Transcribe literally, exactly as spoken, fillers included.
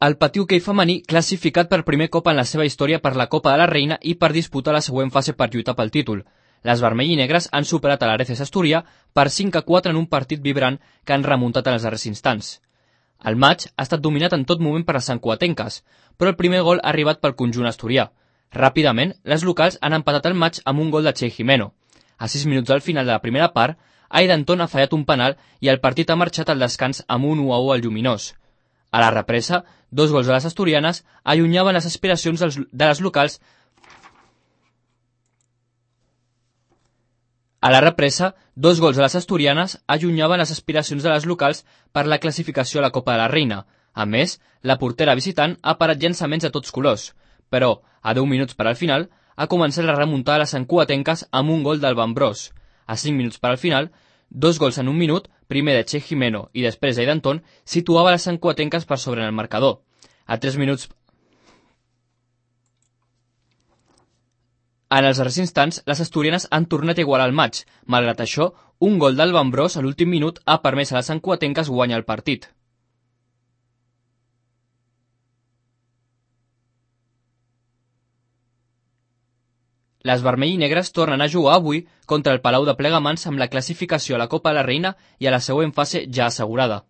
El Patí Hoquei femení classificat per primer cop en la seva història per la Copa de la Reina i per disputar la següent fase per lluitar pel títol. Les vermell i negres han superat a l'Areces Asturià per cinc a quatre en un partit vibrant que han remuntat en els darrers instants. El maig ha estat dominat en tot moment per les santcugatenques, però el primer gol ha arribat pel conjunt asturià. Ràpidament, les locals han empatat el maig amb un gol de Che Jimeno. A sis minuts al final de la primera part, Aidanton ha fallat un penal i el partit ha marxat al descans amb un u a u al Lluminós. A la represa, dos gols de les asturianes allunyaven les aspiracions dels, de les locals A la represa, dos gols de les asturianes allunyaven les aspiracions de les locals per la classificació a la Copa de la Reina. A més, la portera visitant ha parat llançaments a tots colors, però, a deu minuts per al final, ha començat la remuntada a les santcugatenques amb un gol del Bambrós. A cinc minuts per al final, dos gols en un minut, primer de Che Jimeno i després d'Aidanton, situava les santcugatenques per sobre en el marcador. A tres minuts... En els darrers instants, les asturianes han tornat a igualar el maig. Malgrat això, un gol del Bambrós a l'últim minut ha permès a les santcugatenques guanyar el partit. Les vermell i negres tornen a jugar avui contra el Palau de Plegamans amb la classificació a la Copa de la Reina i a la següent fase ja assegurada.